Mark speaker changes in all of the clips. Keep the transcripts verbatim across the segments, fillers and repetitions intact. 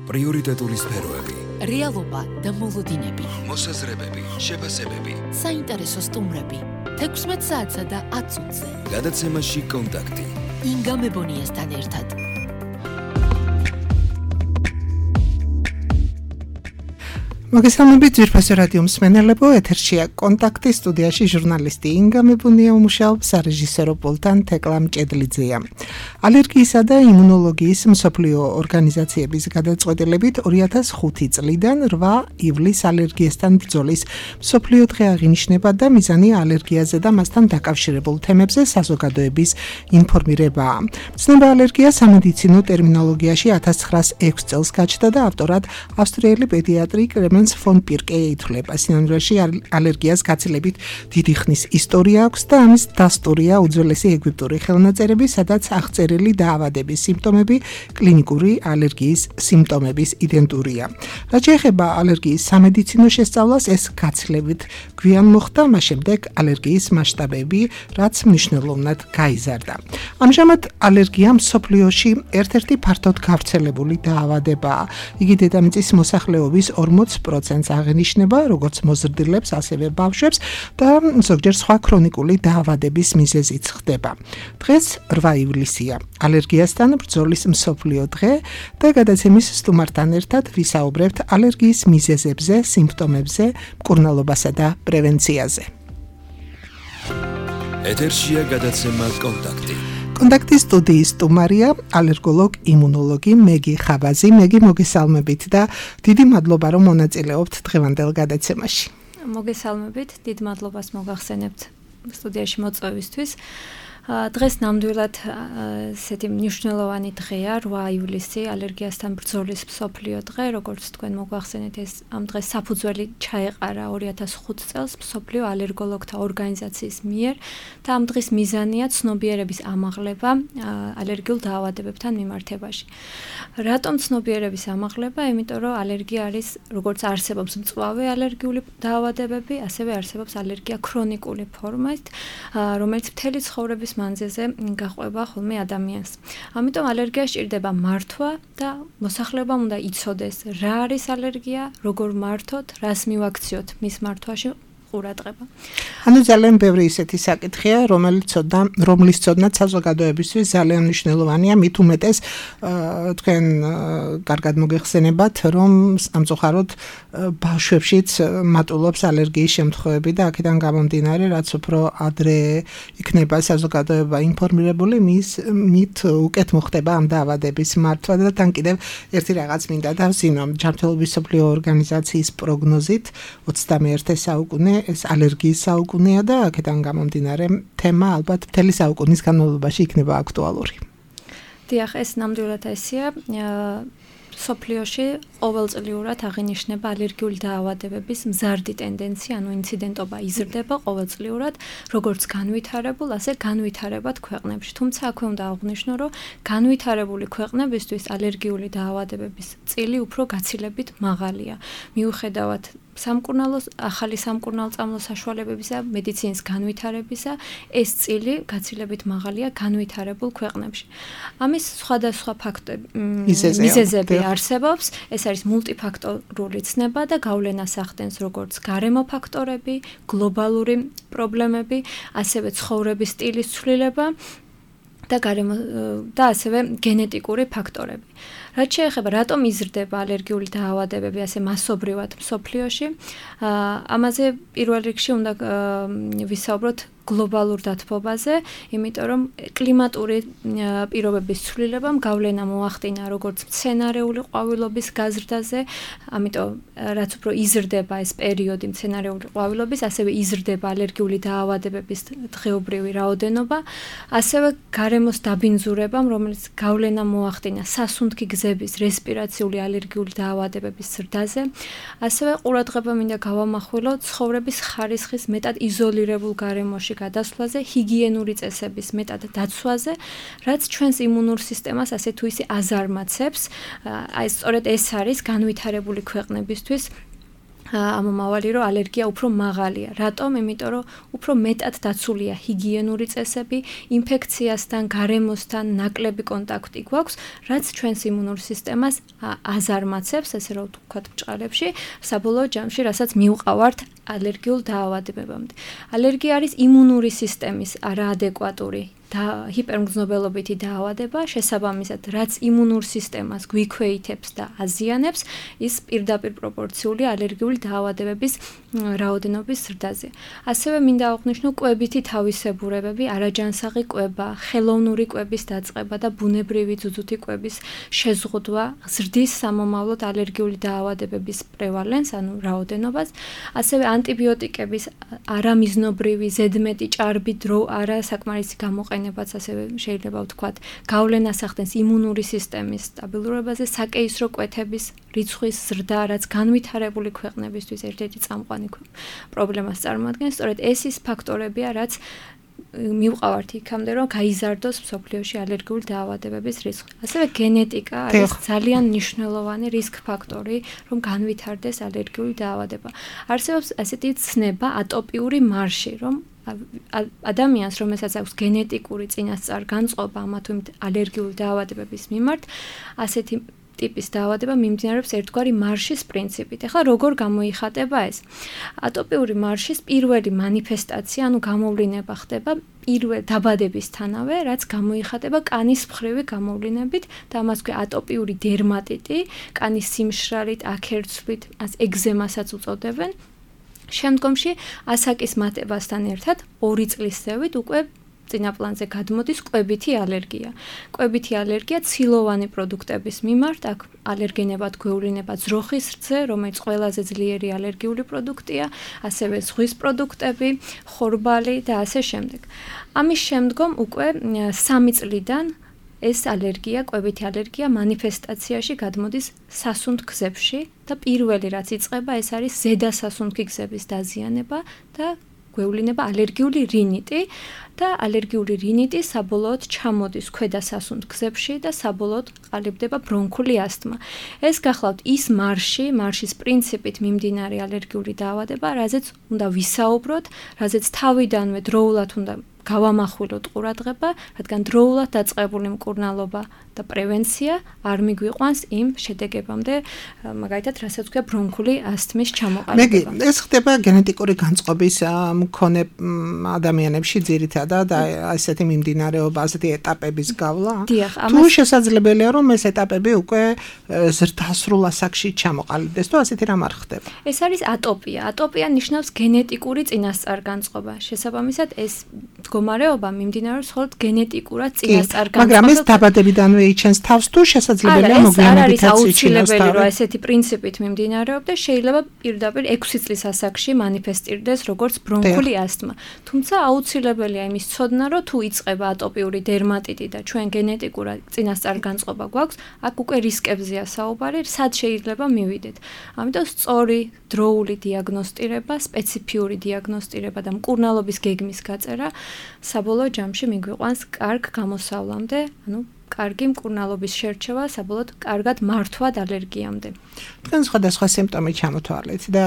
Speaker 1: პრიორიტეტული სფეროები,
Speaker 2: რეალობა და მოლოდინები,
Speaker 1: მოსაზრებები, შეფასებები,
Speaker 2: საინტერესო სტუმრები, თექვსმეტ საათსა და ათ წუთზე.
Speaker 1: გადაცემაში კონტაქტი.
Speaker 2: ინგა მებონიასთან ერთად.
Speaker 3: მოგესალმებით ძვირფასო რადიო მსმენელებო, ეთერშია კონტაქტი, სტუდიაში ჟურნალისტი ინგა მებუნია უმუშაობს, სარეჟისორო პულტთან თეკლა მჭედლიძეა. ალერგიისა და იმუნოლოგიის მსოფლიო ორგანიზაციების გადაწყვეტილებით ორი ათას ხუთი წლიდან რვა ივლისს ალერგიასთან ბრძოლის მსოფლიო დღე აღინიშნება და მიზანი ალერგიაზე და მასთან დაკავშირებულ თემებზე საზოგადოების ინფორმირებაა. ცნება ალერგია სამედიცინო ტერმინოლოგიაში ათას ცხრაას ექვს წელს გაჩნდა და ავტორად ავსტრიელი პედიატრი კრემენს ფონ პირკე ითვლება. სინამდვილეში ალერგიას გაცილებით დიდი ხნის ისტორია აქვს და ამის დასტურია უძველესი ეგვიპტური ხელნაწერები, სადაც აღწერილი დაავადების სიმპტომები კლინიკური ალერგიის სიმპტომების იდენტურია. რაც შეეხება ალერგიის სამედიცინო შესწავლას, ეს გაცილებით გვიან მოხდა, მას შემდეგ ალერგიის მასშტაბები, რაც მნიშვნელოვნად გაიზარდა. ამჟამად ალერგია მსოფლიოში ერთ-ერთი ფართოდ გავრცელებული დაავადებაა. იგი დედამიწის მოსახლეობის ორმოც პროცენტს აღენიშნება, როგორც მოზრდილებს, ასევე ბავშვებს და ზოგჯერ სხვა ქრონიკული დაავადების მიზეზიც ხდება. დღეს რვა ივლისია, ალერგიასთან ბრძოლის მსოფლიო დღე და გადაცემის სტუმართან ერთად ვისაუბრებთ ალერგიის მიზეზებზე, სიმპტომებზე, მკურნალობასა და პრევენციაზე.
Speaker 1: ეთერშია გადაცემა კონტაქტი.
Speaker 3: კონტაქტის სტუდიის სტუმარია ალერგოლოგ იმუნოლოგი მეგი ხაბაზი. მეგი, მოგესალმებით და დიდი მადლობა, რომ მონაწილეობთ დღევანდელ გადაცემაში.
Speaker 4: მოგესალმებით, დიდ მადლობას მოგახსენებთ სტუდიაში მოწვევისთვის. დღეს ნამდვილად ესეთი მნიშვნელოვანი დღეა, რვა ივლისი, ალერგიასთან ბრძოლის მსოფლიო დღე, როგორც თქვენ მოგახსენეთ, ეს ამ დღეს საფუძველი ჩაეყარა ორი ათას ხუთი წელს მსოფლიო ალერგოლოგთა ორგანიზაციის მიერ და ამ დღის მიზანია ცნობიერების ამაღლება ალერგიულ დაავადებებთან მიმართებაში. რატომ ცნობიერების ამაღლება? იმიტომ რომ ალერგია არის, როგორც არსებობს მწვავე ალერგიული დაავადებები, ასევე არსებობს ალერგია ქრონიკული ფორმით, რომელიც მთელი ცხოვრების მანძილზე გაყვება ხოლმე ადამიანს. ამიტომ ალერგია სჭირდება მართვა და მოსახლეობამ უნდა იცოდეს, რა არის ალერგია, როგორ მართოთ, რას მივაქციოთ მის მართვაში ყურადღება.
Speaker 3: ანუ ძალიან ბევრი ისეთი საკითხია, რომელიც ცოდნა, რომლის ცოდნაც საზოგადოებისთვის ძალიან მნიშვნელოვანია, მით უმეტეს თქვენ კარგად მოგეხსენებათ, რომ სამწუხაროდ ბავშვებშიც მატულობს ალერგიის შემთხვევები და აქედან გამომდინარე, რაც უფრო ადრე იქნება საზოგადოება ინფორმირებული, მის მით უკეთ მოხდება ამ დაავადების მართვა და თან კიდევ ერთი რაღაც მინდა დავსინო. ჯანმრთელობის მსოფლიო ორგანიზაციის პროგნოზით ოცდამეერთე საუკუნე ეს ალერგიის საუკუნეა და აქედან გამომდინარე თემა ალბათ მთელი საუკუნის განმავლობაში იქნება აქტუალური.
Speaker 4: დიახ, ეს ნამდვილად ესეა. სოფლიოში ყოველწლიურად აღინიშნება ალერგიული დაავადებების მზარდი ტენდენცია, ანუ ინციდენტობა იზრდება ყოველწლიურად, როგორც განვითარებულ, ასე განვითარებად ქვეყნებში. თუმცა აქვე უნდა აღვნიშნო, რომ განვითარებული ქვეყნებისთვის ალერგიული დაავადებების წილი უფრო გაცილებით მაღალია. მიუხედავად სამკურნალოს ახალი სამკურნალო საშუალებებისა, მედიცინის განვითარებისა, ეს წილი გაცილებით მაღალია განვითარებულ ქვეყნებში. ამის სხვადასხვა ფაქტორი მიზეზები არსებობს, ეს არის მულტიფაქტორული ცნება და გავლენას ახდენს როგორც გარემო ფაქტორები, გლობალური პრობლემები, ასევე ცხოვრების სტილის ცვლილება და გარემო და ასევე გენეტიკური ფაქტორები. რაც შეეხება, რატომ იზრდება ალერგიული დაავადებები ასე მასობრივად მსოფლიოში, ამაზე პირველ რიგში უნდა ვისაუბროთ გლობალურ დათბობაზე, იმიტომ რომ კლიმატური პირობების ცვლილებამ გავლენა მოახდინა როგორც მცენარეული ყვავილობის გაზრდაზე, ამიტომ რაც უფრო იზრდება ეს პერიოდი მცენარეული ყვავილობის, ასევე იზრდება ალერგიული დაავადებების დღეობრივი რაოდენობა, ასევე გარემოს დაბინძურებამ, რომელიც გავლენა მოახდინა სასუნთქი გზების რესპირაციული ალერგიული დაავადებების ზრდაზე, ასევე ყურადღება მინდა გავამახვილო ცხოვრების ხარისხის მეტად იზოლირებულ გარემოში გადასვლაზე, ჰიგიენური წესების მეტად დაცვაზე, რაც ჩვენს იმუნურ სისტემას ასე თუ ისე აზარმაცებს. აი სწორედ ეს არის განვითარებული ქვეყნებისთვის ამომავალი რომ ალერგია უფრო მაღალია. რატომ? იმიტომ რომ უფრო მეტად დაცულია ჰიგიენური წესები, ინფექციასთან, გარემოსთან ნაკლები კონტაქტი გვაქვს, რაც ჩვენს იმუნურ სისტემას აზარმაცებს, ესე რომ ვთქვათ ბჭყალებში, საბოლოო ჯამში, რასაც მივყავართ ალერგიულ დაავადებებამდე. ალერგია არის იმუნური სისტემის არაადეკვატური და ჰიპერმგრძნობელობითი დაავადება, შესაბამისად, რაც იმუნურ სისტემას გვიქვეითებს და აზიანებს, ის პირდაპირ პროპორციული ალერგიული დაავადებების რაოდენობის ზრდაზე. ასევე მინდა აღვნიშნო კვებითი თავისებურებები, არაჯანსაღი კვება, ხელოვნური კვების დაწყება და ბუნებრივი ძუძუთი კვების შეზღუდვა ზრდის სამომავლოდ ალერგიული დაავადებების პრევალენს, ანუ რაოდენობას, ასევე ანტიბიოტიკების არამიზნობრივი, ზედმეტი ჭარბი დრო არასაკმარისი გამოყენება ბაც ასევე შეიძლება ვთქვათ, გავლენას ახდენს იმუნური სისტემის სტაბილურობაზე, საკეისრო კვეთების რიცხვის ზრდა, რაც განვითარებული ქვეყნებისთვის ერთ-ერთი წამყვანი პრობლემას წარმოადგენს. სწორედ ეს ის ფაქტორებია, რაც მივყავართ იქამდე, რომ გაიზარდოს მსოფლიოში ალერგიული დაავადებების რისკი. ასევე გენეტიკა არის ძალიან მნიშვნელოვანი რისკ ფაქტორი, რომ განვითარდეს ალერგიული დაავადება. არსებობს ასეთი ცნება, ატოპიური მარში, რომ ადამიანს, რომელსაც აქვს გენეტიკური წინასწარ-განწყობა ამა თუ იმ ალერგიული დაავადებების მიმართ, ასეთი ტიპის დაავადება მიმდინარეობს ერთგვარი მარშის პრინციპით. ეხლა როგორ გამოიხატება ეს? ატოპიური მარშის პირველი მანიფესტაცია, ანუ გამოვლინება ხდება პირველ დაბადებისთანავე, რაც გამოიხატება კანის მხრივი გამოვლინებით და ამას ქვია ატოპიური დერმატიტი, კანის სიმშრალით, აქერცვლით, ეგზემასაც უწოდებენ. შემდგომში ასაკის მატებასთან ერთად ორი წლის ზევით უკვე წინაპლანზე გადმოდის კვებითი ალერგია. კვებითი ალერგია ცილოვანი პროდუქტების მიმართ, აქ ალერგენებად გვევლინება ძროხის რძე, რომელიც ყველაზე ძლიერი ალერგიული პროდუქტია, ასევე ზღვის პროდუქტები, ხორბალი და ასე შემდეგ. ამის შემდგომ უკვე სამი წლიდან ეს ალერგია, კვებითი ალერგია მანიფესტაციაში გადმოდის სასუნთქგზებში და პირველი რაც იწყება, ეს არის ზედა სასუნთქი გზების დაზიანება და გვევლინება ალერგიული რინიტი და ალერგიული რინიტი საბოლოოდ ჩამოდის ქვედა სასუნთქგზებში და საბოლოოდ ყალიბდება ბრონქული ასთმა. ეს გახლავთ ის მარში, მარშის პრინციპით მიმდინარე ალერგიული დაავადება, რაზეც უნდა ვისაუბროთ, რაზეც თავიდანვე დროულად უნდა გავამახვილოთ ყურადღება, რადგან დროულად დაწყებული მკურნალობა და პრევენცია არ მიგვიყვანს იმ შედეგებამდე, მაგალითად, რასაც ქვია ბრონქული ასთმის ჩამოყალიბება.
Speaker 3: მე ეს ხდება გენეტიკური განწყობის მქონე ადამიანებში ძირითადად და ასეთი მიმდინარეობა, ასეთი ეტაპების გავლა. თუ შესაძლებელია, რომ ეს ეტაპები უკვე ზრდასრულ ასაკში ჩამოყალიბდეს, თუ ასეთი რამ არ ხდება.
Speaker 4: ეს არის ატოპია. ატოპია ნიშნავს გენეტიკური წინასწარ-განწყობა. შესაბამისად, ეს მდგომარეობა მიმდინარეობს მხოლოდ გენეტიკურად წინასწარ-განწყობა.
Speaker 3: მაგრამ ეს დაბადებიდანვე იჩენს თავს თუ შესაძლებელია მოგვიანებით
Speaker 4: აუცილებელი რომ ესეთი პრინციპით მიმდინარეობდეს, შეიძლება პირდაპირ ექვსი წლის ასაკში მანიფესტირდეს როგორც ბრონქული ასთმა. თუმცა აუცილებელია იმის ცოდნა, რომ თუ იწყება ატოპიური დერმატიტი და ჩვენ გენეტიკურად წინასწარ-განწყობა გვაქვს, აქ უკვე რისკებზეა საუბარი, სად შეიძლება მივიდეთ. ამიტომ სწორი დროული დიაგნოსტირება, სპეციფიური დიაგნოსტირება და მკურნალობის გეგმის გაწერა საბოლოო ჯამში მიგვიყვანს კარგ გამოსავლამდე, ანუ კარგი მკურნალობის შერჩევა, საბოლოოდ კარგად მართვად ალერგიამდე.
Speaker 3: თქვენ სხვადასხვა სიმპტომი ჩამოთვალეთ და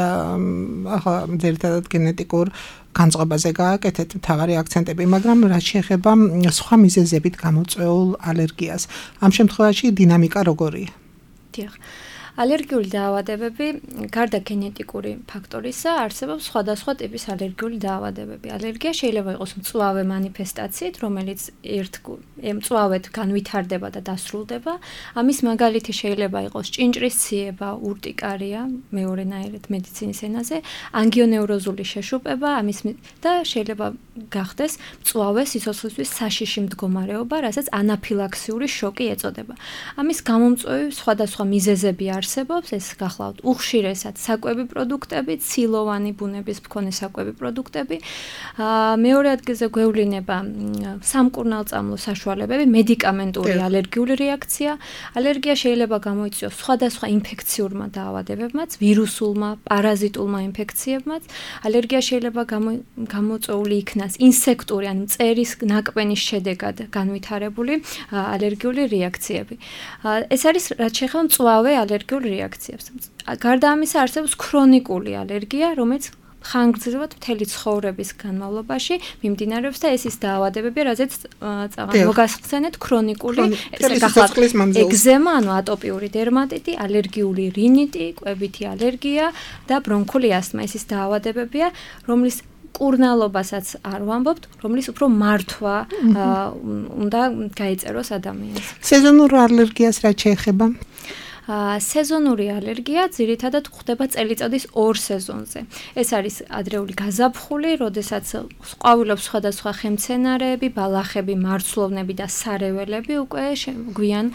Speaker 3: ახლა ძირითადად გენეტიკურ განწყობაზე გააკეთეთ მთავარი აქცენტები, მაგრამ რაც შეეხება სხვა მიზეზებით გამოწვეულ ალერგიას, ამ შემთხვევაში დინამიკა როგორია?
Speaker 4: დიახ. ალერგიული დაავადებები, გარდა გენეტიკური ფაქტორისა, არსებობს სხვადასხვა ტიპის ალერგიული დაავადებები. ალერგია შეიძლება იყოს მწვავე მანიფესტაციით, რომელიც ერთ მწვავედ განვითარდება და დასრულდება. ამის მაგალითი შეიძლება იყოს ჭინჭრის ციება, ურტიკარია, მეორენაირად მედიცინის ენაზე, ანგიონევროზული შეშუპება, ამის და შეიძლება გახდეს მწვავე სიცოცხლისთვის საშიში მდგომარეობა, რასაც ანაფილაქსიური შოკი ეწოდება. ამის გამომწვევი სხვადასხვა მიზეზები არის. არსებობს, ეს გახლავთ უხშირესად საკვები პროდუქტები, ცილოვანი ბუნების მქონე საკვები პროდუქტები. მეორე ადგილზე გვევლინება სამკურნალწამლო საშუალებები, მედიკამენტური ალერგიული რეაქცია. ალერგია შეიძლება გამოიწვიოს სხვადასხვა ინფექციურმა დაავადებებმაც, ვირუსულმა, პარაზიტულმა ინფექციებმაც. ალერგია შეიძლება გამოწვეული იქნას ინსექტური, ან მწერის ნაკბენის შედეგად განვითარებული ალერგიული რეაქციები. ეს არის რაც შეეხება მწვავე ალერგიულ სპეციფიურ რეაქციებს. გარდა ამისა არსებობს ქრონიკული ალერგია, რომელიც ხანგრძლივად მთელი ცხოვრების განმავლობაში მიმდინარეობს და ეს ის დაავადებებია, რაზეც წაღან მოგახსენეთ ქრონიკული ეგზემა, ანუ ატოპიური დერმატიტი, ალერგიული რინიტი, კვებითი ალერგია და ბრონქული ასთმა. ეს ის დაავადებებია, რომლის კურნალობასაც არ ვამბობთ, რომლის უფრო მართვა უნდა გაეწეროს ადამიანს.
Speaker 3: სეზონურ ალერგიას რა შეეხება?
Speaker 4: სეზონური ალერგია ძირითადად გვხდება წელიწადის ორ სეზონზე. ეს არის ადრეული გაზაფხული, როდესაც ყვავილობს სხვადასხვა ხემცენარეები, ბალახები, მარცვლოვნები და სარეველები უკვე გვიან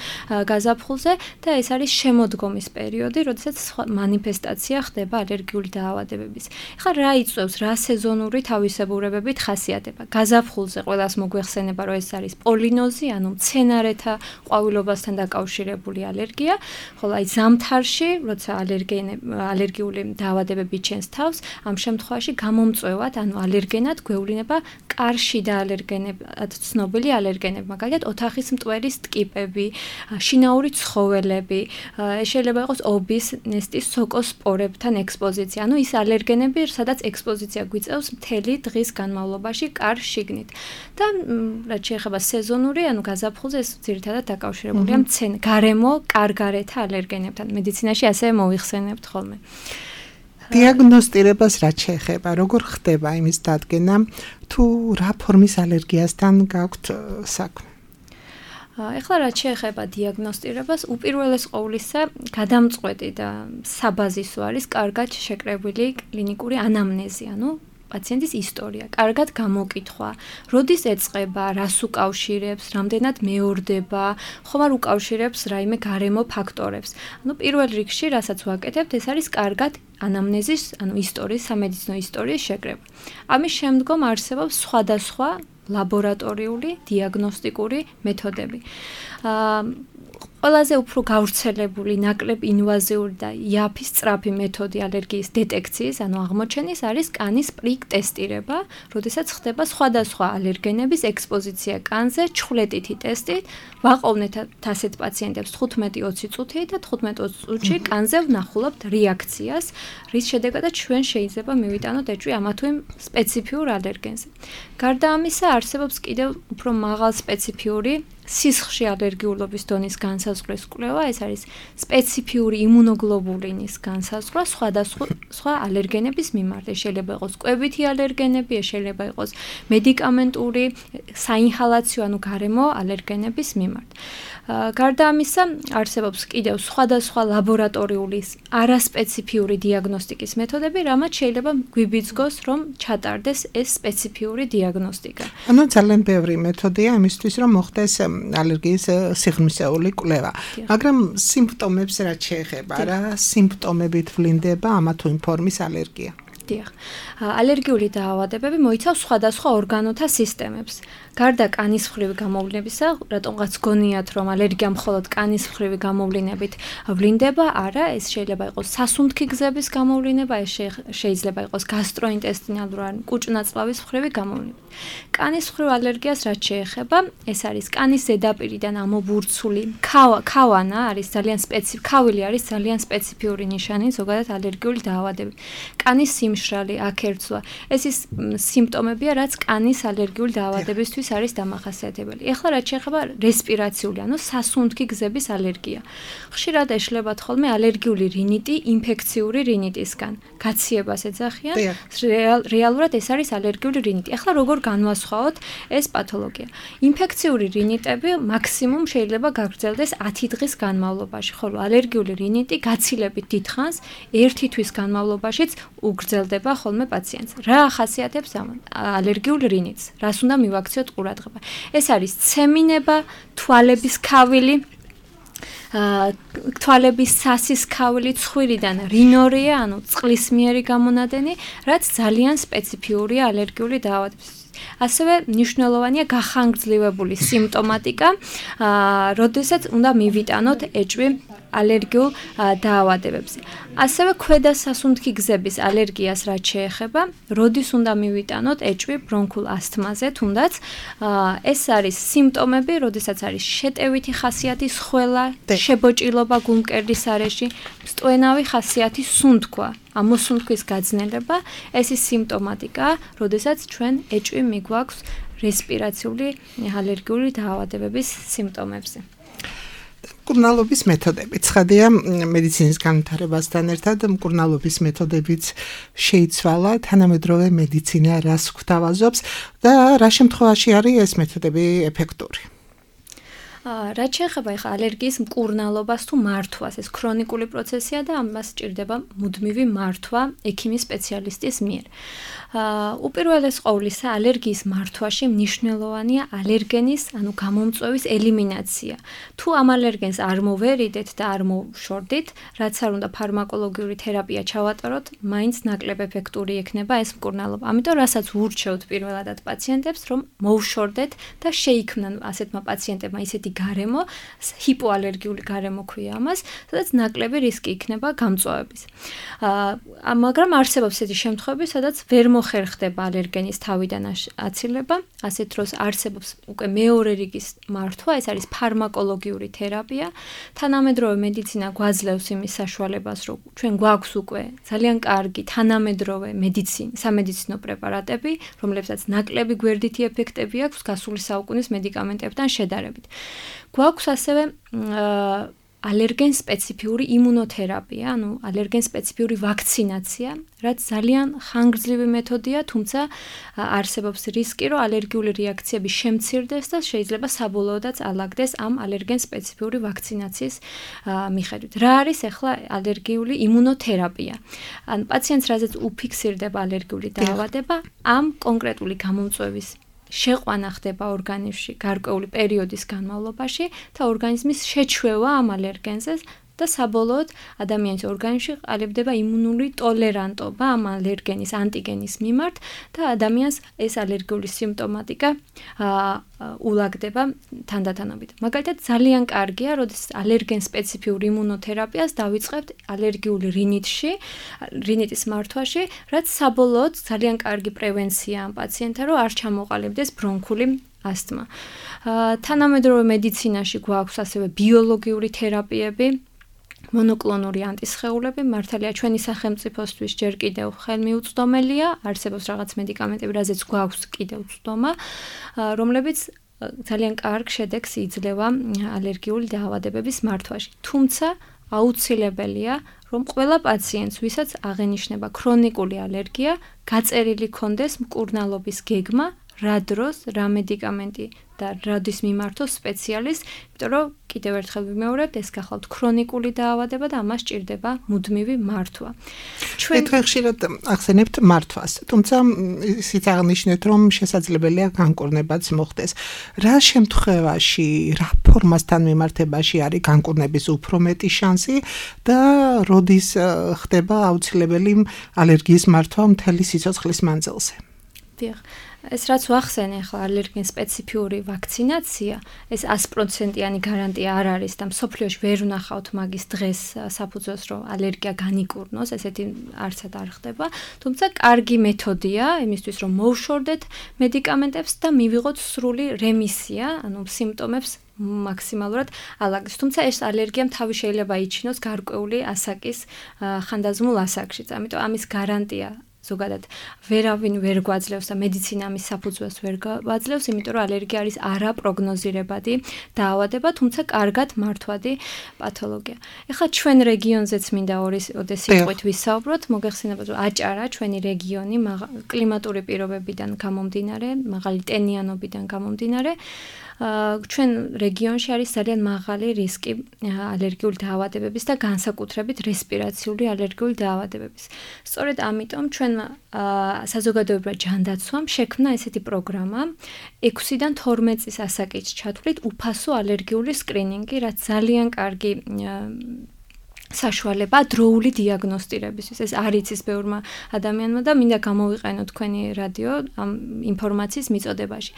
Speaker 4: გაზაფხულზე და ეს არის შემოდგომის პერიოდი, როდესაც მანიფესტაცია ხდება ალერგიული დაავადებების. ეხლა რა იწვევს, რა სეზონური თავისებურებებით ხასიათდება? გაზაფხულზე ყველას მოგვეხსენება, რომ ეს არის პოლინოზი, ანუ მცენარეთა ყვავილობასთან დაკავშირებული ალერგია. ხოლო აი ზამთარში, როცა ალერგიული დაავადებები ჩენს თავს, ამ შემთხვევაში გამომწვევად, ანუ ალერგენად გვევლინება კარშიდა ალერგენად ცნობილი ალერგენები, მაგალითად ოთახის მტვერის ტკიპები, შინაური ცხოველები, შეიძლება იყოს ობის, ნესტის სოკოსპორებთან ექსპოზიცია. ანუ ის ალერგენები, სადაც ექსპოზიცია გვიწევს მთელი დღის განმავლობაში კარშიგნით. და რაც შეეხება სეზონური, ანუ გაზაფხულზე, ეს ძირითადად დაკავშირებულია მცენ გარემო კარგარეთა ალერგენებთან. მედიცინაში ასევე მოიხსენებთ ხოლმე.
Speaker 3: დიაგნოსტირებას რაც შეეხება, როგორ ხდება იმის დადგენა, თუ რა ფორმის ალერგიასთან გაქვთ საქმე?
Speaker 4: ეხლა რაც შეეხება დიაგნოსტირებას, უპირველეს ყოვლისა, გადამწყვეტი და საბაზისო არის კარგად შეკრებილი კლინიკური ანამნეზი, ანუ პაციენტის ისტორია, კარგად გამოკითხვა, როდის ეწყება, რას უკავშირებს, რამდენად მეორდება, ხომ არ უკავშირებს რაიმე გარემო ფაქტორებს. ანუ პირველ რიგში, რასაც ვაკეთებთ, ეს არის კარგად ანამნეზის, ანუ ისტორიის, სამედიცინო ისტორიის შეკრება. ამის შემდგომ არსებობს სხვადასხვა ლაბორატორიული, დიაგნოსტიკური მეთოდები. აა ყველაზე უფრო გავრცელებული, ნაკლებ ინვაზიური და იაფი სწრაფი მეთოდი ალერგიის დეტექციის, ანუ აღმოჩენის არის კანის პრიკ ტესტირება, როდესაც ხდება სხვადასხვა ალერგენების ექსპოზიცია კანზე, ჩხვლეტითი ტესტით. ვაყოვნეთ ასეთ პაციენტებს თხუთმეტი ოცი წუთი და თხუთმეტ ოცი წუთში კანზე ვნახულობთ რეაქციას, რის შედეგადაც ჩვენ შეიძლება მივიტანოთ ეჭვი ამა თუ იმ სპეციფიურ ალერგენზე. გარდა ამისა, არსებობს კიდევ უფრო მაღალ სპეციფიური სისხლში ალერგიულობის დონის განსაზღვრის კვლევა, ეს არის სპეციფიური იმუნოგლობულინის განსაზღვრა სხვადასხვა სხვა ალერგენების მიმართ. შეიძლება იყოს კვებითი ალერგენები, შეიძლება იყოს მედიკამენტური, საინჰალაციო, ანუ გარემო ალერგენების მიმართ. გარდა ამისა, არსებობს კიდევ სხვადასხვა ლაბორატორიული არასპეციფიური დიაგნოსტიკის მეთოდები, რამაც შეიძლება გვიბიძგოს, რომ ჩატარდეს ეს სპეციფიური დიაგნოსტიკა.
Speaker 3: ანუ ძალიან ბევრი მეთოდია იმისთვის, რომ მოხდეს ალერგიის სიღრმისეული კვლევა. მაგრამ სიმპტომებს რაც შეეხება, რა სიმპტომებით ვლინდება ამა თუ იმ ფორმის ალერგია?
Speaker 4: დიახ. ალერგიული დაავადებები მოიცავს სხვადასხვა ორგანოთა სისტემებს. გარდა კანის მხრივი გამოვლინებისა, რატომღაც გონიათ, რომ ალერგია მხოლოდ კანის მხრივი გამოვლინებით ვლინდება, არა, ეს შეიძლება იყოს სასუნთქი გზების გამოვლინება, ეს შეიძლება იყოს გასტროინტესტინალური ან კუჭნაწლავის მხრივი გამოვლინება. კანის მხრივ ალერგიას რაც შეეხება, ეს არის კანის ზედაპირიდან ამობურცული ქავანა, არის ძალიან სპეციფიკური, ქავილი არის ძალიან სპეციფიური ნიშანი ზოგადად ალერგიული დაავადებები. კანის სიმშრალი, აკერცვა, ეს ის სიმპტომებია, რაც კანის ალერგიული დაავადებისთვის არის დამახასიათებელი. ეხლა რაც შეეხება რესპირაციული, ანუ სასუნთქი გზების ალერგია. ხშირად ეშლებათ ხოლმე ალერგიული რინიტი ინფექციური რინიტისგან. გაციებას ეძახიან, რეალურად ეს არის ალერგიული რინიტი. ეხლა როგორ განვასხვაოთ ეს პათოლოგია? ინფექციური რინიტები მაქსიმუმ შეიძლება გაგრძელდეს ათი დღის განმავლობაში, ხოლო ალერგიული რინიტი გაცილებით დიდხანს ერთი თვის განმავლობაშიც უგრძელდება ხოლმე პაციენტს. რა ახასიათებს ამ ალერგიულ რინიტს? რას უნდა მივაქციოთ ყურადღება? ეს არის ცემინება, თვალების ქავილი, თვალების სასის ქავილი, ცხვირიდან რინორია, ანუ წყლისმიერი გამონადენი, რაც ძალიან სპეციფიურია ალერგიული დაავადებისთვის. ასევე მნიშვნელოვანია გახანგრძლივებული სიმპტომატიკა, როდესაც უნდა მივიტანოთ ეჭვი ალერგიულ დაავადებებზე. ასევე ქვედა სასუნთქი გზების ალერგიას რაც შეეხება, როდის უნდა მივიტანოთ ეჭვი ბრონქულ ასთმაზე, თუნდაც ეს არის სიმპტომები, როდესაც არის შეტევითი ხასიათის ხველა, შებოჭილობა გულმკერდის არეში, სტვენავი ხასიათის სუნთქვა. ამ მოსუნთქვის გაძნელება, ეს ის სიმპტომატიკა, როდესაც ჩვენ ეჭვი მიგვაქვს რესპირაციული ალერგიული დაავადებების სიმპტომებზე.
Speaker 3: მკურნალობის მეთოდები. ცხადია, მედიცინის განვითარებასთან ერთად მკურნალობის მეთოდებიც შეიცვალა, თანამედროვე მედიცინა რას გვთავაზობს და რა შემთხვევაში არის ეს მეთოდები ეფექტური?
Speaker 4: რაც შეეხება ახლა ალერგიის მკურნალობას თუ მართვას, ეს ქრონიკული პროცესია და ამას სჭირდება მუდმივი მართვა ექიმის სპეციალისტის მიერ. უპირველეს ყოვლისა, ალერგიის მართვაში მნიშვნელოვანია ალერგენის, ანუ გამომწვევის ელიმინაცია. თუ ამ ალერგენს არ მოვერიდეთ და არ მოვშორდით, რაც არ უნდა ფარმაკოლოგიური თერაპია ჩავატაროთ, მაინც ნაკლებ ეფექტური იქნება ეს მკურნალობა. ამიტომ რასაც ვურჩევთ პირველადად პაციენტებს, რომ მოვშორდეთ და შეიქმნან ასეთმა პაციენტებმა ისეთი გარემო, ჰიპოალერგიული გარემო ქვია ამას, სადაც ნაკლები რისკი იქნება გამწვავების. აა მაგრამ არსებობს ესეთი შემთხვევები, სადაც ვერ მოხერხდება ალერგენის თავიდან აცილება, ასეთ დროს არსებობს უკვე მეორე რიგის მართვა, ეს არის ფარმაკოლოგიური თერაპია. თანამედროვე მედიცინა გვაძლევს იმის საშუალებას, რომ ჩვენ გვაქვს უკვე ძალიან კარგი თანამედროვე მედიცინა, სამედიცინო პრეპარატები, რომლებსაც ნაკლები გვერდითი ეფექტები აქვს გასული საუკუნის მედიკამენტებთან შედარებით. გვაქვს ასევე ალერგენ სპეციფიური იმუნოთერაპია, ანუ ალერგენ სპეციფიური ვაქცინაცია, რაც ძალიან ხანგრძლივი მეთოდია, თუმცა არსებობს რისკი, რომ ალერგიული რეაქციები შემცირდეს და შეიძლება საბოლოოდაც ალაგდეს ამ ალერგენ სპეციფიური ვაქცინაციის მიხედვით. რა არის ახლა ალერგიული იმუნოთერაპია? ან პაციენტს რაზეც უფიქსირდება ალერგიული დაავადება, ამ კონკრეტული გამომწვევის შეყვანა ხდება ორგანიზმში გარკვეული პერიოდის განმავლობაში და ორგანიზმის შეჩვევა ამ ალერგენზე და საბოლოოდ ადამიანის ორგანიზმში ყალიბდება იმუნური ტოლერანტობა ამ ალერგენის ანტიგენის მიმართ და ადამიანს ეს ალერგიული სიმპტომატიკა ულაგდება თანდათანობით. მაგალითად, ძალიან კარგია, როდესაც ალერგენ სპეციფიურ იმუნოთერაპიას დავიწყებთ ალერგიული რინიტში, რინიტის მართვაში, რაც საბოლოოდ ძალიან კარგი პრევენცია ამ პაციენტთა, რომ არ ჩამოყალიბდეს ბრონქული ასთმა. თანამედროვე მედიცინაში გვაქვს ასევე ბიოლოგიური თერაპიები, მონოკლონური ანტისხეულები, მართალია ჩვენი სახელმწიფოსთვის ჯერ კიდევ ხელმიუწვდომელია, არსებობს რაღაც მედიკამენტები, რაზეც გვაქვს კიდევ წვდომა, რომლებიც ძალიან კარგ შედეგს იძლევა ალერგიული დაავადებების მართვაში. თუმცა აუცილებელია, რომ ყველა პაციენტს, ვისაც აღენიშნება ქრონიკული ალერგია, გაწერილი ქონდეს მკურნალობის გეგმა, რა დროს, რა მედიკამენტი და რადის მიმართოს სპეციალისტს, იმიტომ რომ კიდევ ერთხელ ვიმეორებთ, ეს გახლავთ ქრონიკული დაავადება და ამას სჭირდება მუდმივი მართვა.
Speaker 3: ჩვენ თქვენ ხშირად ახსენებთ მართვას, თუმცა ისიც აღნიშნეთ, რომ შესაძლებელია განკურნებაც მოხდეს. რა შემთხვევაში, რა ფორმასთან მიმართებაში არის განკურნების უფრო მეტი შანსი და როდის ხდება აუცილებელი ალერგიის მართვა მთელი სიცოცხლის მანძილზე?
Speaker 4: დიახ. ეს რაც ვახსენე ახლა ალერგენ სპეციფიური ვაქცინაცია, ეს sto პროცენტიანი გარანტია არ არის და მსოფლიოში ვერ ვნახავთ მაგის დღეს საფუძველს, რომ ალერგია განიკურნოს, ესეთი არცად არ ხდება, თუმცა კარგი მეთოდია იმისთვის, რომ მოვშორდეთ მედიკამენტებს და მივიღოთ სრული რემისია, ანუ სიმპტომებს მაქსიმალურად ალაგდეს. თუმცა ეს ალერგიამ თავი შეიძლება იჩინოს გარკვეული ასაკის ხანდაზმულ ასაკშიც, ამიტომ ამის გარანტია ზოგადად ვერავინ ვერ გვაძლევს და მედიცინა ამის საფუძველს ვერ გვაძლევს, იმიტომ რომ ალერგია არის არაპროგნოზირებადი დაავადება, თუმცა კარგად მართვადი პათოლოგია. ეხლა ჩვენ რეგიონზეც მინდა ორი სიტყვით ვისაუბროთ, მოგეხსენებათ, რომ აჭარა ჩვენი რეგიონი კლიმატური პირობებიდან გამომდინარე, მაღალი ტენიანობიდან გამომდინარე, ჩვენ რეგიონში არის ძალიან მაღალი რისკი ალერგიული დაავადებების და განსაკუთრებით რესპირაციული ალერგიული დაავადებების. სწორედ ამიტომ ჩვენ საზოგადოებრივად ჯანდაცვამ შექმნა ესეთი პროგრამა ექვსიდან თორმეტ წლის ასაკით ჩათვლით უფასო ალერგიული სკრინინგი, რაც ძალიან კარგი საშუალება დროული დიაგნოსტირებისთვის. ეს არ იცის ბევრმა ადამიანმა და მინდა გამოვიყენო თქვენი რადიო ამ ინფორმაციის მიწოდებაში.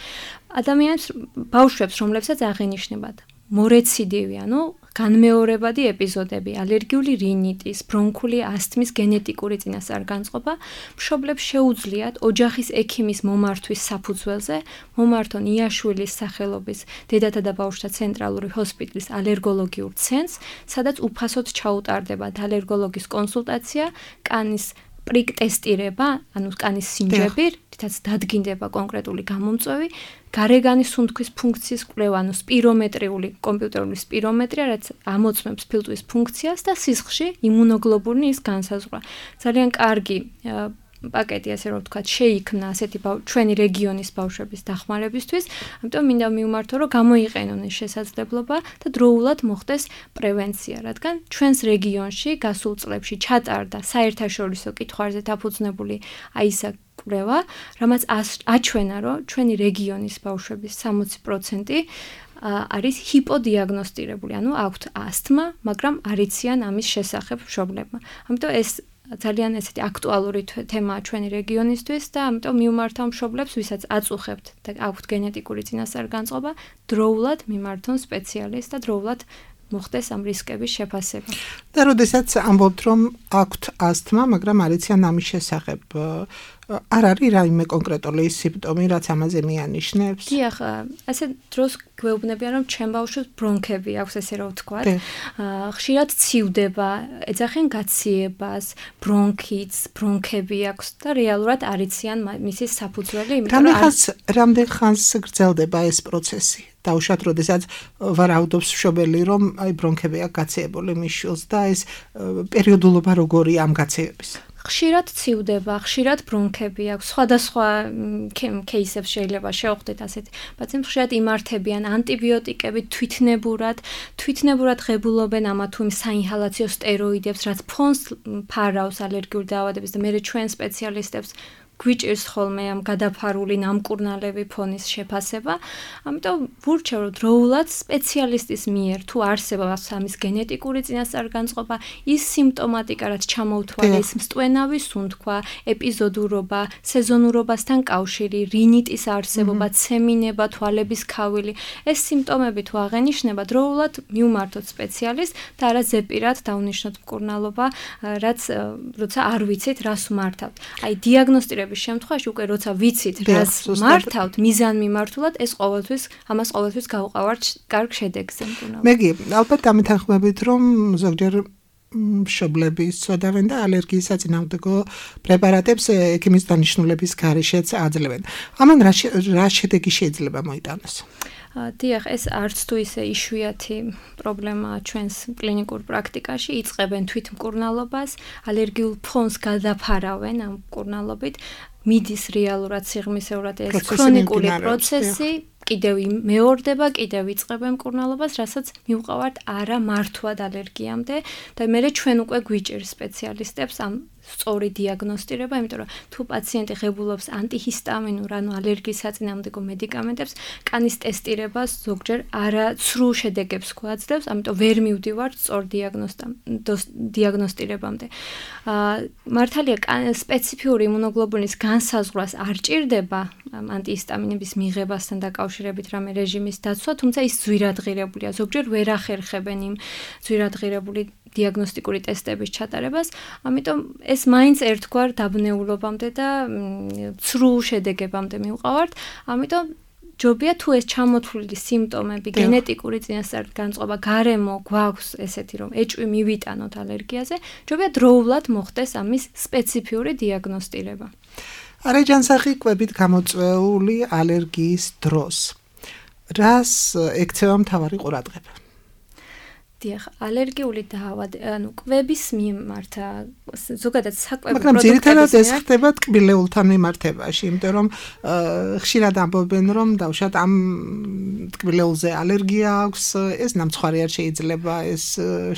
Speaker 4: ადამიანებს, ბავშვებს, რომლებსაც აღენიშნებათ მორეციდივი, ანუ განმეორებადი ეპიზოდები, ალერგიული რინიტის, ბრონქული ასთმის გენეტიკური წინასწარ-განწყობა, მშობლებს შეუძლიათ ოჯახის ექიმის მომართვის საფუძველზე მომართონ იაშვილის სახელობის დედათა და ბავშვთა ცენტრალური ჰოსპიტალის ალერგოლოგიურ ცენტრს, სადაც უფასოდ ჩაუტარდებათ ალერგოლოგის კონსულტაცია, კანის პრიკ ტესტირება, ანუ კანის სინჯები, რითაც დადგინდება კონკრეტული გამომწვევი, გარეგანის სუნთქვის ფუნქციის კვლევა, ანუ სპირომეტრიული კომპიუტერული სპირომეტრია, რაც ამოწმებს ფილტვის ფუნქციას და სისხლში იმუნოგლობულინის განსაზღვრა. ძალიან კარგი პაკეტი, ასე რომ ვთქვათ, შეიქმნა ასეთი ჩვენი რეგიონის ბავშვების დახმარებისთვის, ამიტომ მინდა მივმართო, რომ გამოიყენონ ეს შესაძლებლობა და დროულად მოხდეს პრევენცია, რადგან ჩვენს რეგიონში გასულ წლებში ჩატარდა საერთაშორისო კითხვებზე დაფუძნებული აი ისა კვლევა, რამაც აჩვენა, რომ ჩვენი რეგიონის ბავშვების სამოცი პროცენტი არის ჰიპოდიაგნოსტირებული, ანუ აქვთ ასთმა, მაგრამ არ იციან ამის შესახებ მშობლებმა. ამიტომ ეს ძალიან ესეთი აქტუალური თემაა ჩვენი რეგიონისთვის და ამიტომ მივმართავ მშობლებს, ვისაც აწუხებთ და აქვთ გენეტიკური წინასწარ-განწყობა, დროულად მიმართონ სპეციალისტს და დროულად მოხდეს ამ რისკების შეფასება.
Speaker 3: და როდესაც ამბობთ, რომ აქვთ ასთმა, მაგრამ არ იციან ამის შესახებ, არ არის რაიმე კონკრეტული სიმპტომი, რაც ამაზე მიანიშნებს?
Speaker 4: დიახ, ასე დროს გვეუბნებიან, რომ ჩემ ბავშვს ბრონქები აქვს, ესე რომ ვთქვათ. ხშირად ცივდება, ეძახიან გაციებას, ბრონქიტს, ბრონქები აქვს და რეალურად არ იციან მისი საფუძველი, იმიტომ
Speaker 3: რომ რამდენ ხანს გრძელდება ეს პროცესი? დაუშვათ, როდესაც ვარაუდობს მშობელი, რომ აი ბრონქები აქვს გაციებული მის შვილს და ეს პერიოდულობა როგორია ამ გაციების?
Speaker 4: ხშირად ცივდება, ხშირად ბრონქები აქვს, სხვადასხვა кейსებს შეიძლება შევხვდეთ ასეთ პაციენტებს, ხშირად იმართებიან ანტიბიოტიკებით თვითნებურად, თვითნებურად ღებულობენ ამა თუ იმ საინჰალაციო სტეროიდებს, რაც ფონს ფარავს ალერგიული დაავადების და მერე ჩვენ სპეციალისტებს გვიჭირს ხოლმე ამ გადაფარული ნამკურნალები ფონის შეფასება. ამიტომ ვურჩევ, რომ დროულად სპეციალისტის მიერ თუ არსებობს ამის გენეტიკური წინასწარ-განწყობა, ის სიმპტომატიკა, რაც ჩამოუთვალე, ის მსტვენავი სუნთქვა, ეპიზოდურობა, სეზონურობასთან კავშირი, რინიტის არსებობა, ცემინება, თვალების ქავილი, ეს სიმპტომები თუ აღენიშნება, დროულად მივმართოთ სპეციალისტს და არა ზეპირად დავნიშნოთ მკურნალობა, რაც როცა არ ვიცით, რას ვმართავთ. აი დიაგნოსტირების შემთხვევაში უკვე როცა ვიცით, რას მართავთ, მიზანმიმართულად, ეს ყოველთვის, ამას ყოველთვის გავყავართ კარგ შედეგზე მკურნალობა.
Speaker 3: მეგი, ალბათ დამეთანხმებით, რომ ზოგჯერ მშობლები სწოდავენ და ალერგიის საწინააღმდეგო პრეპარატებს ექიმის დანიშნულების გარეშეც აძლევენ. ამან რა შედეგი შეიძლება მოიტანოს?
Speaker 4: დიახ, ეს არც თუ ისე იშვიათი პრობლემაა ჩვენს კლინიკურ პრაქტიკაში, იწყებენ თვითმკურნალობას, ალერგიულ ფონს გადაფარავენ ამ მკურნალობით, მიდის რეალურად სიღრმისეულად ეს ქრონიკული პროცესი, კიდევ მეორდება, კიდევ იწყებენ მკურნალობას, რასაც მივყავართ არა მართვად ალერგიამდე და მერე ჩვენ უკვე გვიჭირს სპეციალისტებს ამ სწორი დიაგნოსტირება, იმიტომ რომ თუ პაციენტი ღებულობს ანტიჰისტამინურ, ანუ ალერგიის საწინააღმდეგო მედიკამენტებს, კანის ტესტირებას ზოგჯერ არა ცრუ შედეგებს გვაძლევს, ამიტომ ვერ მივდივართ სწორ დიაგნოსტირებამდე. მართალია, სპეციფიური იმუნოგლობულინის განსაზღვრას არ ჭირდება ანტიჰისტამინების მიღებასთან დაკავშირებით რამე რეჟიმის დაცვა, თუმცა ის ძვირადღირებულია. ზოგჯერ ვერ ახერხებენ იმ ძვირადღირებული დიაგნოსტიკური ტესტების ჩატარებას, ამიტომ ეს მაინც ერთგვარ დაბნეულობამდე და ცრუ შედეგებამდე მივყავართ, ამიტომ ჯობია თუ ეს ჩამოთვლილი სიმპტომები, გენეტიკური წინასწარ-განწყობა, გარემო გვაქვს ესეთი, რომ ეჭვი მივიტანოთ ალერგიაზე, ჯობია დროულად მოხდეს ამის სპეციფიური დიაგნოსტირება.
Speaker 3: არაჯანსაღი კვებით გამოწვეული ალერგიის დროს რას ექცევა მთავარი ყურადღება?
Speaker 4: დიახ, ალერგიული დაავადება, ანუ კვების მიმართ, ზოგადად საკვები
Speaker 3: პროდუქტების. მაგრამ ძირითადად ეს ხდება ტკბილეულთან მიმართებაში, იმიტომ რომ ხშირად ამბობენ, რომ დავუშვათ ამ ტკბილეულზე ალერგია აქვს, ეს ნამცხვარი არ შეიძლება, ეს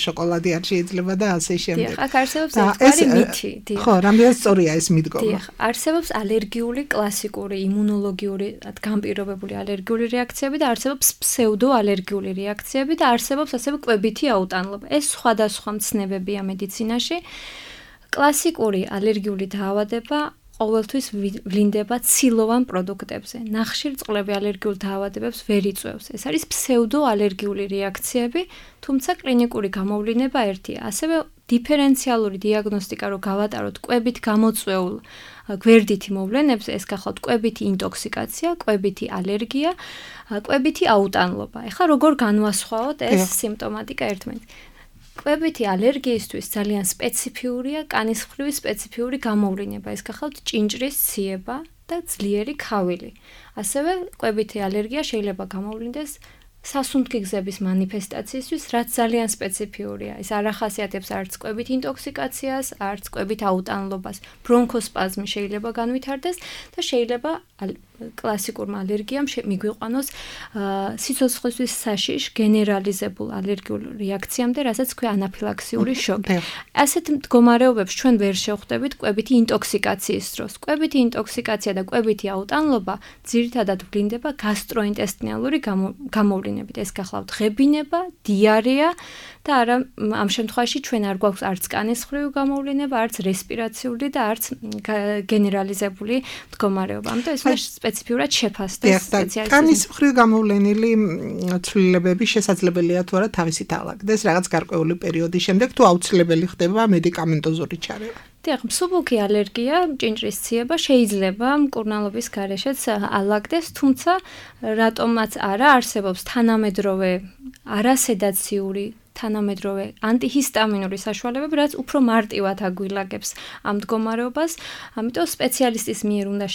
Speaker 3: შოკოლადი არ შეიძლება და ასე შემდეგ.
Speaker 4: დიახ, აქ არსებობს ერთგვარი მითი, დიახ.
Speaker 3: ხო, რამდენად სწორია ეს მიდგომა?
Speaker 4: დიახ, არსებობს ალერგიული კლასიკური იმუნოლოგიური, განპირობებული ალერგიული რეაქციები და არსებობს ფსევდოალერგიული რეაქციები და არსებობს ასევე კვები აუტანლობა. ეს სხვადასხვა მცნებებია მედიცინაში. კლასიკური ალერგიული დაავადება ყოველთვის ვლინდება ცილოვან პროდუქტებზე. ნახშირწყლები ალერგიულ დაავადებებს ვერ იწვევს. ეს არის ფსევდოალერგიული რეაქციები, თუმცა კლინიკური გამოვლინება ერთია. ასევე დიფერენციალური დიაგნოსტიკა რო გავატაროთ კვებით გამოწვეულ გვერდითი მოვლენებს, ეს გახლავთ კვებითი ინტოქსიკაცია, კვებითი ალერგია, კვებითი აუტანლობა. ეხლა როგორ განვასხვაოთ ეს სიმპტომატიკა ერთმანეთს? კვებითი ალერგიისთვის ძალიან სპეციფიურია კანის მხრივი სპეციფიური გამოვლინება. ეს გახლავთ ჭინჭრის ციება და ძლიერი ქავილი. ასევე კვებითი ალერგია შეიძლება გამოვლინდეს სასუნთქი გზების მანიფესტაციისთვის, რაც ძალიან სპეციფიურია. ეს არ ახასიათებს არც კვებით ინტოქსიკაციას, არც კვებით აუტანლობას. ბრონქოსპაზმი შეიძლება განვითარდეს და შეიძლება კლასიკურმა ალერგიამ მიგვიყვანოს სიცოცხლისთვის საშიშ გენერალიზებულ ალერგიულ რეაქციამდე, რასაც ქვია ანაფილაქსიური შოკი. ასეთ მდგომარეობებს ჩვენ ვერ შევხვდებით კვებითი ინტოქსიკაციის დროს. კვებითი ინტოქსიკაცია და კვებითი აუტანლობა ძირითადად ვლინდება გასტროინტესტინალური გამოვლინებით. ეს გახლავთ ღებინება, დიარეა და არა ამ შემთხვევაში ჩვენ არ გვაქვს არც კანის მხრივი გამოვლინება, არც რესპირაციული და არც გენერალიზებული მდგომარეობა. ამიტომ ეს სპეციფიურად შეფასდეს სპეციალისტის.
Speaker 3: კანის მხრივ გამოვლენილი ცვლილებები შესაძლებელია თუ არა თავისით ალაგდეს რაღაც გარკვეული პერიოდის შემდეგ, თუ აუცილებელი ხდება მედიკამენტოზური ჩარევა.
Speaker 4: დიახ, მსუბუქი ალერგია, ჭინჭრის ციება შეიძლება მკურნალობის გარეშეც ალაგდეს, თუმცა რატომაც არა არსებობს თანამედროვე არასედაციური თანამედროვე ანტიჰისტამინური საშუალებები, რაც უფრო მარტივად აგვილაგებს ამ მდგომარეობას, ამიტომ სპეციალისტის მიერ უნდა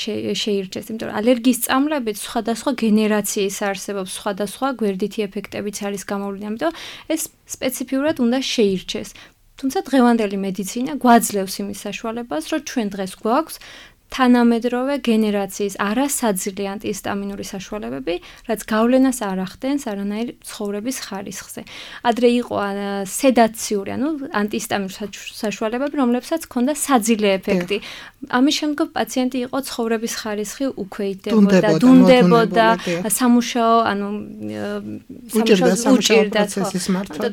Speaker 4: შეირჩეს, იმიტომ რომ ალერგიის წამლებით სხვადასხვა გენერაციის არსებობს, სხვადასხვა გვერდითი ეფექტებიც არის გამოვლინებული, ამიტომ ეს სპეციფიურად უნდა შეირჩეს. თუმცა დღევანდელი მედიცინა გვაძლევს იმის საშუალებას, რომ ჩვენ დღეს გვაქვს თანამედროვე გენერაციის არასაძილი ანტიჰისტამინური საშუალებები, რაც გავლენას არ ახდენს არანაირ ცხოვრების ხარისხზე. ადრე იყო სედაციური, ანუ ანტიჰისტამინური საშუალებები, რომლებსაც ჰქონდა საძილე ეფექტი. ამის შემდგომ პაციენტი იყო ცხოვრების ხარისხი უქვეითდებოდა, დუნდებოდა, სამუშაო, ანუ სამუშაოს უჭირდა.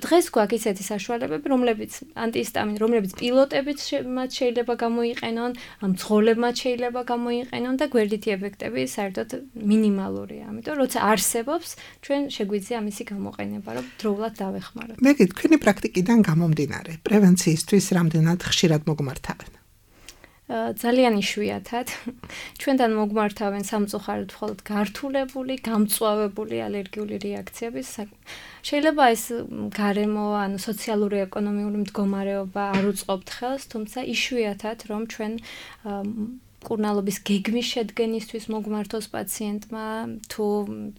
Speaker 4: დღეს გვაქვს ისეთი საშუალებები, რომლებიც ანტიჰისტამინი, რომლებიც პილოტებიც მათ შეიძლება გამოიყენონ, მძღოლებმაც შეიძლება გამოიყენონ და გვერდითი ეფექტები საერთოდ მინიმალურია. ამიტომ როცა არსებობს, ჩვენ შეგვიძლია მისი გამოყენება, რომ დროულად დავეხმაროთ.
Speaker 3: მე თქვენი პრაქტიკიდან გამომდინარე, პრევენციისთვის რამდენად ხშირად მოგმართავენ?
Speaker 4: ძალიან იშვიათად. ჩვენთან მოგმართავენ სამწუხაროდ მხოლოდ გართულებული, გამწვავებული ალერგიული რეაქციები. შეიძლება ეს გარემო, ანუ სოციალური ეკონომიური მდგომარეობა არ უწყობთ ხელს, თუმცა იშვიათად რომ ჩვენ მკურნალობის გეგმის შედგენისთვის მოგმართოს პაციენტმა თუ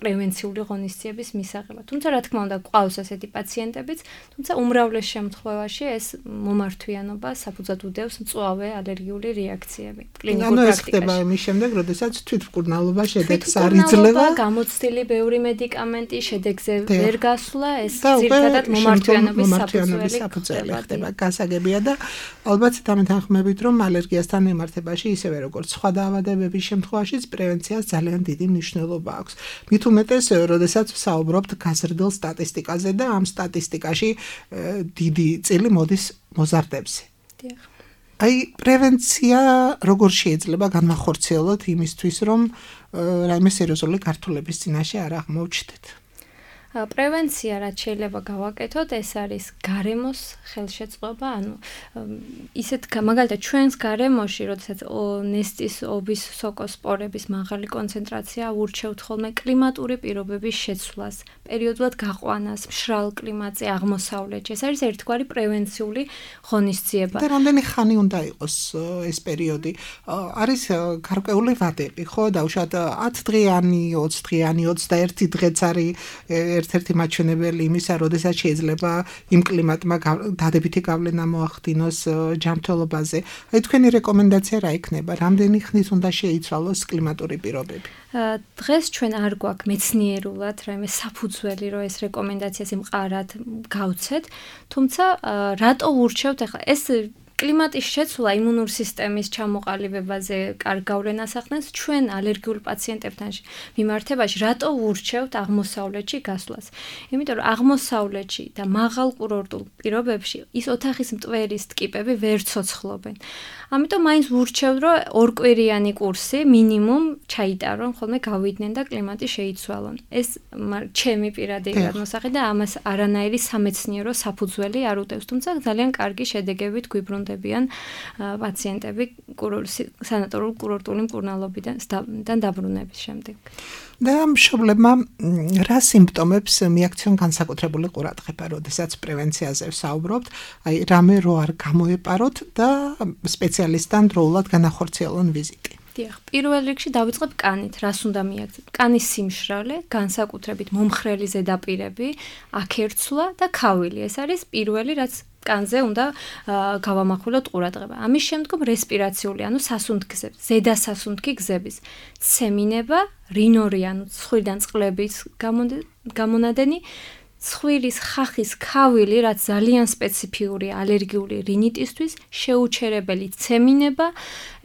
Speaker 4: პრევენციული ღონისძიების მისაღებად. თუმცა რა თქმა უნდა გვყავს ასეთი პაციენტებიც, თუმცა უმრავლეს შემთხვევაში ეს მომართვიანობა საფუძვლად უდევს მწვავე ალერგიული რეაქციები.
Speaker 3: კლინიკურ პრაქტიკაში. ანუ ეს ხდება იმის შემდეგ, როდესაც თვითმკურნალობა შედეგს არ იძლევა,
Speaker 4: გამოცდილი ბევრი მედიკამენტი შედეგზე ვერ გასვლა, ეს ძირითადად მომართვიანობის საფუძველი
Speaker 3: ხდება. გასაგებია და ალბათ დამეთანხმებით, რომ ალერგიასთან მიმართებაში ისევე როგორც სხვა დაავადებების შემთხვევაშიც პრევენციას ძალიან დიდი მნიშვნელობა აქვს. მით უმეტეს, როდესაც ვსაუბრობთ გაზრდილ სტატისტიკაზე და ამ სტატისტიკაში დიდი წილი მოდის მოზარდებზე.
Speaker 4: დიახ.
Speaker 3: აი, პრევენცია როგორ შეიძლება განმახორციელოთ იმისთვის, რომ რაიმე სერიოზული გართულების წინაშე არ აღმოჩნდეთ?
Speaker 4: პრევენცია რაც შეიძლება გავაკეთოთ, ეს არის გარემოს ხელშეწყობა, ანუ ისეთ მაგალითად ჩვენს გარემოში, როდესაც ნესტის ობის სოკოსპორების მაღალი კონცენტრაცია ურჩევთ ხოლმე კლიმატური პირობების შეცვლას, პერიოდულად გაყვანას, მშრალ კლიმატზე, აღმოსავლეთში. ეს არის ერთგვარი პრევენციული ღონისძიება.
Speaker 3: და რამდენი ხანი უნდა იყოს ეს პერიოდი? არის გარკვეული ვადები, ხო? დაუშვათ ათი დღიანი, ოცი დღიანი, ოცდაერთი დღეც არის ერთ-ერთი მაჩვენებელი იმისა, როდესაც შეიძლება იმ კლიმატმა დადებითი გავლენა მოახდინოს ჯანმრთელობაზე. აი თქვენი რეკომენდაცია რა იქნება? რამდენი ხნით უნდა შეიცვალოს კლიმატური პირობები?
Speaker 4: დღეს ჩვენ არ გვაქვს მეცნიერულად რაიმე საფუძველი, რომ ეს რეკომენდაციას იმყარად გავცეთ, თუმცა რატო ურჩევთ ახლა ეს კლიმატის შეცვლა იმუნური სისტემის ჩამოყალიბებაზე კარგ გავლენას ახდენს ჩვენ ალერგიულ პაციენტებთან მიმართებაში, რატო ვურჩევთ აღმოსავლეთში გასვლას? იმიტომ რომ აღმოსავლეთში და მაღალ კურორტულ პირობებში ის ოთახის მტვერის ტკიპები ვერ ცოცხლობენ. ამიტომ მაინც ვურჩევთ, რომ ორკვირიანი კურსი მინიმუმ ჩაიტარონ, ხოლმე გავიდნენ და კლიმატი შეიცვალონ. ეს ჩემი პირადი გადმოსახი და ამას არანაირი სამეცნიერო საფუძველი არ უდევს, თუმცა ძალიან კარგი შედეგებით გვიბრუნდებიან პაციენტები სანატორიულ კურორტული მკურნალობიდან დაბრუნების შემდეგ.
Speaker 3: და მშობლებმა რა სიმპტომებს მიაქციონ განსაკუთრებული ყურადღება, როდესაც პრევენციაზე ვსაუბრობთ, აი რამე რო არ გამოეპაროთ და სპეციალისტთან დროულად განახორციელონ ვიზიტი.
Speaker 4: დიახ, პირველ რიგში დავიწყებ კანით, რას უნდა მიაქციოთ? კანის სიმშრალე, განსაკუთრებით მომხრელი ზედაპირები, აქერცვლა და ქავილი. ეს არის პირველი, რაც კანზე უნდა გავამახვილოთ ყურადღება. ამის შემდგომ რესპირაციული, ანუ სასუნთქგზების, ზედა სასუნთქი გზების ცემინება, რინორი, ანუ ცხვირიდან წყლების გამონადენი, ცხვირის ხახის ქავილი, რაც ძალიან სპეციფიური ალერგიული რინიტისთვის, შეუჩერებელი ცემინება,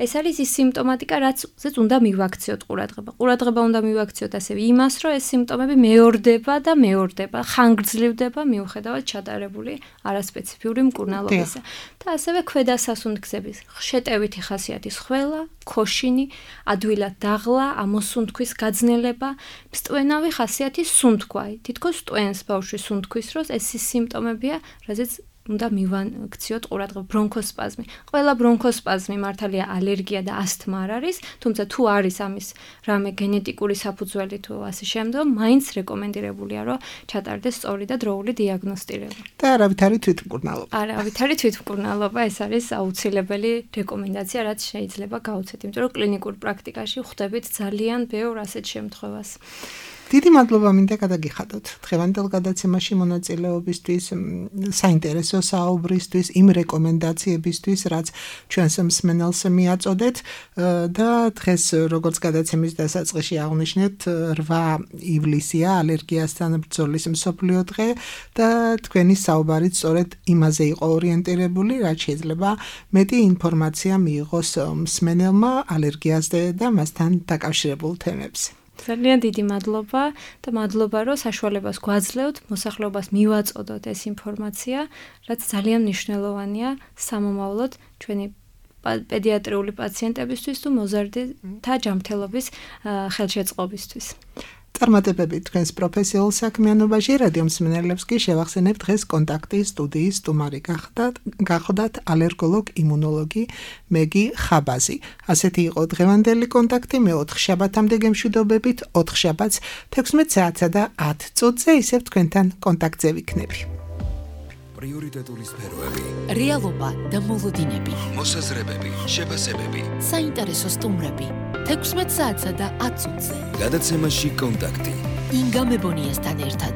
Speaker 4: ეს არის ის სიმპტომატიკა, რაცაც უნდა მივაქციოთ ყურადღება. ყურადღება უნდა მივაქციოთ ასევე იმას, რომ ეს სიმპტომები მეორდება და მეორდება, ხანგრძლივდება მიუხედავად ჩატარებული არასპეციფიური მკურნალობისა. და ასევე ქვედა სასუნთქგზების შეტევითი ხასიათის ხველა, ქოშინი, ადვილად დაღლა, ამოსუნთქვის გაძნელება, მსტვენავი ხასიათის სუნთქვა. თითქოს სტვენს ბავშვის სუნთქვის დროს ეს ის სიმპტომებია, რაზეც უნდა მივაქციოთ ყურადღება. ბრონქოსპაზმი. ყველა ბრონქოსპაზმი მართალია ალერგია და ასთმა არ არის, თუმცა თუ არის ამის რამე გენეტიკური საფუძველი თუ ასე შემდგომ, მაინც რეკომენდირებულია, რომ ჩატარდეს სწორი და დროული დიაგნოსტირება.
Speaker 3: და არავითარი თვითმკურნალობა.
Speaker 4: არავითარი თვითმკურნალობა, ეს არის აუცილებელი რეკომენდაცია, რაც შეიძლება გავუცეთ, იმიტომ რომ კლინიკურ პრაქტიკაში ხვდებით ძალიან ბევრ ასეთ შემთხვევას.
Speaker 3: დიდი მადლობა მინდა გადაგიხადოთ დღევანდელ გადაცემაში მონაწილეობისთვის, საინტერესო საუბრისთვის, იმ რეკომენდაციებისთვის, რაც ჩვენს მსმენელს მიაწოდეთ და დღეს როგორც გადაცემის დასაწყისში აღნიშნეთ, რვა ივლისია ალერგიასთან ბრძოლის მსოფლიო დღე და თქვენი საუბარიც სწორედ იმაზე იყო ორიენტირებული, რაც შეიძლება მეტი ინფორმაცია მიიღოს მსმენელმა ალერგიაზე და მასთან დაკავშირებულ თემებზე.
Speaker 4: ძალიან დიდი მადლობა და მადლობა, რომ საშუალებას გვაძლევთ მოსახლეობას მივაწოდოთ ეს ინფორმაცია, რაც ძალიან მნიშვნელოვანია სამომავლოდ ჩვენი პედიატრიული პაციენტებისთვის თუ მოზარდთა ჯანმრთელობის ხელშეწყობისთვის.
Speaker 3: წარმატებები თქვენს პროფესიულ საქმიანობაში, რადიო მსმენელებს კი შევახსენებთ დღეს კონტაქტი სტუდიის სტუმარი გახდათ ალერგოლოგ იმუნოლოგი მეგი ხაბაზი. ასეთი იყო დღევანდელი კონტაქტი, მე ოთხ შაბათამდე გემშვიდობებით, ოთხ შაბათს თექვსმეტ საათსა და ათ წუთზე ისევ თქვენთან კონტაქტზე ვიქნები.
Speaker 1: პრიორიტეტული სფეროები,
Speaker 2: რეალობა და მოლოდინები,
Speaker 1: მოსაზრებები, შეფასებები,
Speaker 2: საინტერესო სტუმრები, თექვსმეტ საათსა და ათ წუთზე.
Speaker 1: გადაცემაში კონტაქტი.
Speaker 2: ინგა მებონიასთან ერთად.